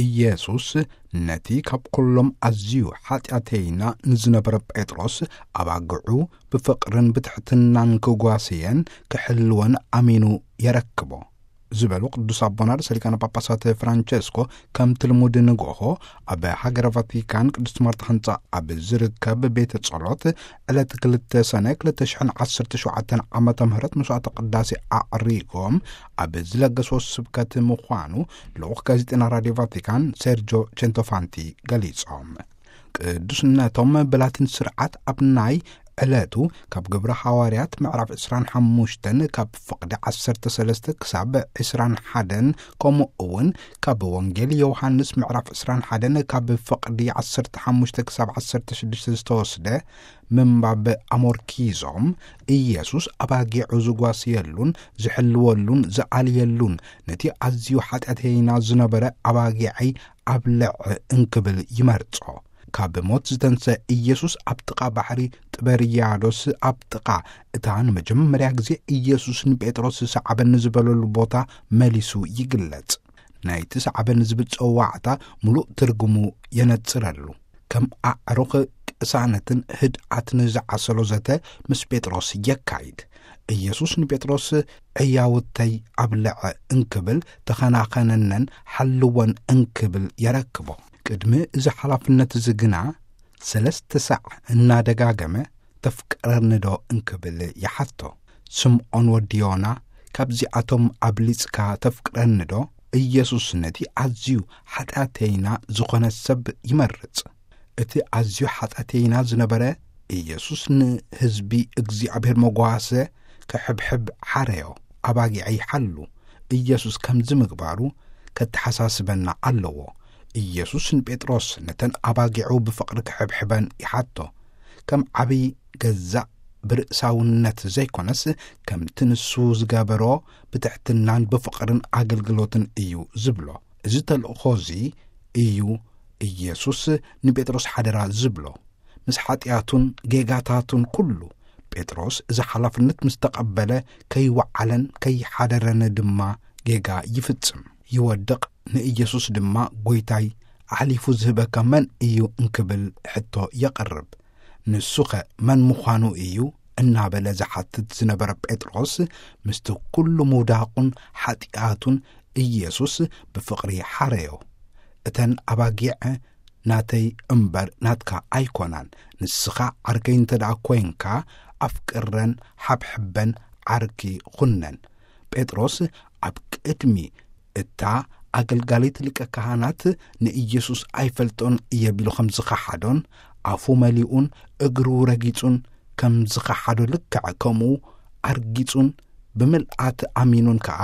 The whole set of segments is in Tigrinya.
ኢየሱስ ነቲ ካብ ኩሎም ኣዝዩ ሓጢኣተይና ንዝነበረ ጴጥሮስ፣ ኣባግዑ ብፍቕርን ብትሕትናን ክጓስየን ክሕልወን ኣሚኑ የረክቦ ዝበሉ ቅዱስ ኣቦና ርእሰ ሊቃነ ጳጳሳት ፍራንቸስኮ፣ ከምቲ ልሙድ ንግሆ ኣብ ሃገረ ቫቲካን ቅድስት ማርታ ህንጻ ኣብ ዝርከብ ቤተ ጸሎት ዕለት ክልተ ሰነ ክልተ ሽሕን ዓሰርተ ሸውዓተን ዓመተ ምህረት መስዋዕተ ቅዳሴ ኣዕሪጎም ኣብ ዝለገስዎ ስብከት ምዃኑ ልኡኽ ጋዜጠና ራድዮ ቫቲካን ሴርጆ ቸንቶፋንቲ ገሊጾም። ቅዱስነቶም ብላቲን ስርዓት ኣብ ናይ ዕለቱ ካብ ግብረ ሃዋርያት ምዕራፍ ዕስራን ሓሙሽተን ካብ ፍቕዲ ዓሰርተ ሰለስተ ክሳብ ዕስራን ሓደን፣ ከምኡ እውን ካብ ወንጌል ዮሃንስ ምዕራፍ ዕስራን ሓደን ካብ ፍቕዲ ዓሰርተ ሓሙሽተ ክሳብ ዓሰርተ ሽዱሽተ ዝተወስደ ምንባብ ኣሞርኪዞም፣ ኢየሱስ ኣባጊዑ ዝጓስየሉን ዝሕልወሉን ዝኣልየሉን፣ ነቲ ኣዝዩ ሓጢኣተይና ዝነበረ ኣባጊዐይ ኣብልዕ እንክብል ይመርጾ። ካብ ሞት ዝተንሰ ኢየሱስ ኣብ ጥቓ ባሕሪ ጥበርያዶስ፣ ኣብ ጥቓ እታ ንመጀመርያ ግዜ ኢየሱስ ንጴጥሮስ ሰዓበኒ ዝበለሉ ቦታ መሊሱ ይግለጽ። ናይቲ ሰዓበኒ ዝብል ጸዋዕታ ምሉእ ትርጉሙ የነጽረሉ። ከም ኣዕሩኽ ቅሳነትን ህድኣትን ዝዓሰሎ ዘተ ምስ ጴጥሮስ የካይድ። ኢየሱስ ንጴጥሮስ ዕያውተይ ኣብልዐ እንክብል ተኸናኸነነን ሓልወን እንክብል የረክቦ። ቅድሚ እዚ ሓላፍነት እዚ ግና ሰለስተ ሳዕ እናደጋገመ ተፍቅረኒ ዶ እንክብል ይሓቶ። ስምዖን ወዲ ዮና፣ ካብዚኣቶም ኣብሊጽካ ተፍቅረኒ ዶ? ኢየሱስ ነቲ ኣዝዩ ሓጢኣተይና ዝኾነ ሰብ ይመርጽ። እቲ ኣዝዩ ሓጢኣተይና ዝነበረ ኢየሱስ ንህዝቢ እግዚኣብሔር መጓሰ ክሕብሕብ ሓረዮ፣ ኣባጊዐይ ሓሉ። ኢየሱስ ከምዚ ምግባሩ ከተሓሳስበና ኣለዎ። ኢየሱስ ንጴጥሮስ ነተን ኣባጊዑ ብፍቕሪ ክሕብሕበን ይሓቶ። ከም ዓብይ ገዛእ ብርእሳውነት ዘይኮነስ፣ ከምቲ ንሱ ዝገበሮ ብትሕትናን ብፍቕርን ኣገልግሎትን እዩ ዝብሎ። እዚ ተልእኾ እዚ እዩ ኢየሱስ ንጴጥሮስ ሓደራ ዝብሎ። ምስ ሓጢኣቱን ጌጋታቱን ኩሉ፣ ጴጥሮስ እዚ ሓላፍነት ምስ ተቐበለ፣ ከይወዓለን ከይሓደረን ድማ ጌጋ ይፍጽም፣ ይወድቕ። ንኢየሱስ ድማ፣ "ጐይታይ፣ ኣሕሊፉ ዝህበካ መን እዩ?" እንክብል ሕቶ የቕርብ። ንሱኸ መን ምዃኑ እዩ? እናበለ ዝሓትት ዝነበረ ጴጥሮስ፣ ምስቲ ኩሉ ምውዳቑን ሓጢኣቱን፣ ኢየሱስ ብፍቕሪ ሓረዮ። "እተን ኣባጊዕ ናተይ እምበር ናትካ ኣይኮናን። ንስኻ ዓርከይ እንተ ደኣ ኮይንካ፣ ኣፍቅረን፣ ሓብሕበን፣ ዓርኪ ኹነን።" ጴጥሮስ ኣብ ቅድሚ እታ ኣገልጋሊት ሊቀ ካህናት ንኢየሱስ ኣይፈልጦን እየ ቢሉ ከም ዝኸሓዶን፣ ኣፉ መሊኡን እግሩ ረጊጹን ከም ዝኸሓዶ ልክዕ ከምኡ ኣርጊጹን ብምልኣት ኣሚኑን ከኣ፣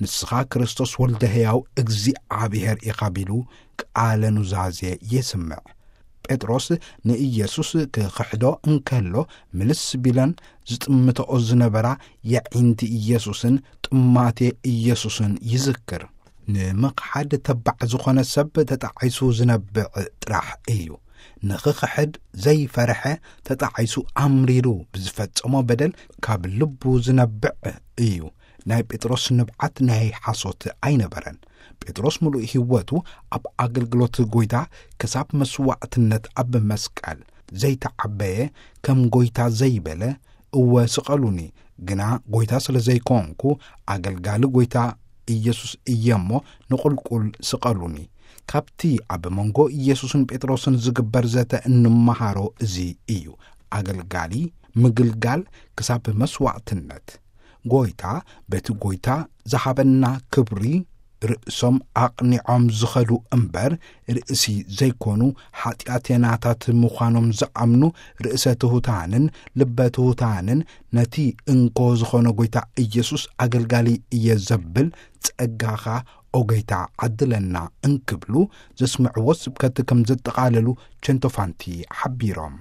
"ንስኻ ክርስቶስ ወልደ ሕያው እግዚኣብሔር ኢኻ" ቢሉ ቃለ ኑዛዜ የስምዕ። ጴጥሮስ ንኢየሱስ ክኽሕዶ እንከሎ፣ ምልስ ቢለን ዝጥምተኦ ዝነበራ የዒንቲ ኢየሱስን ጥማቴ ኢየሱስን ይዝክር። ንምኽሓድ ተባዕ ዝኾነ ሰብ ተጣዒሱ ዝነብዕ ጥራሕ እዩ። ንኽኽሕድ ዘይፈርሐ፣ ተጣዒሱ ኣምሪሩ ብዝፈጸሞ በደል ካብ ልቡ ዝነብዕ እዩ። ናይ ጴጥሮስ ንብዓት ናይ ሓሶት ኣይነበረን። ጴጥሮስ ምሉእ ህይወቱ ኣብ ኣገልግሎት ጐይታ ክሳብ መስዋዕትነት ኣብ መስቀል ዘይተዓበየ፣ ከም ጐይታ ዘይበለ፣ "እወ ስቐሉኒ፣ ግና ጐይታ ስለ ዘይኮንኩ ኣገልጋሊ ጐይታ ኢየሱስ እየ እሞ ንቑልቁል ስቐሉኒ።" ካብቲ ኣብ መንጎ ኢየሱስን ጴጥሮስን ዝግበር ዘተ እንመሃሮ እዚ እዩ። ኣገልጋሊ ምግልጋል ክሳብ መስዋዕትነት። ጐይታ በቲ ጐይታ ዝሃበና ክብሪ ርእሶም ኣቕኒዖም ዝኸዱ እምበር፣ ርእሲ ዘይኮኑ፣ ሓጢኣተናታት ምዃኖም ዝኣምኑ፣ ርእሰ ትሑታንን ልበ ትሑታንን፣ ነቲ እንኮ ዝኾነ ጐይታ ኢየሱስ ኣገልጋሊ እየ ዘብል፣ "ጸጋኻ ኦ ጐይታ ዓድለና" እንክብሉ ዘስምዕዎ ስብከት ከም ዘጠቓለሉ ቸንቶፋንቲ ሓቢሮም።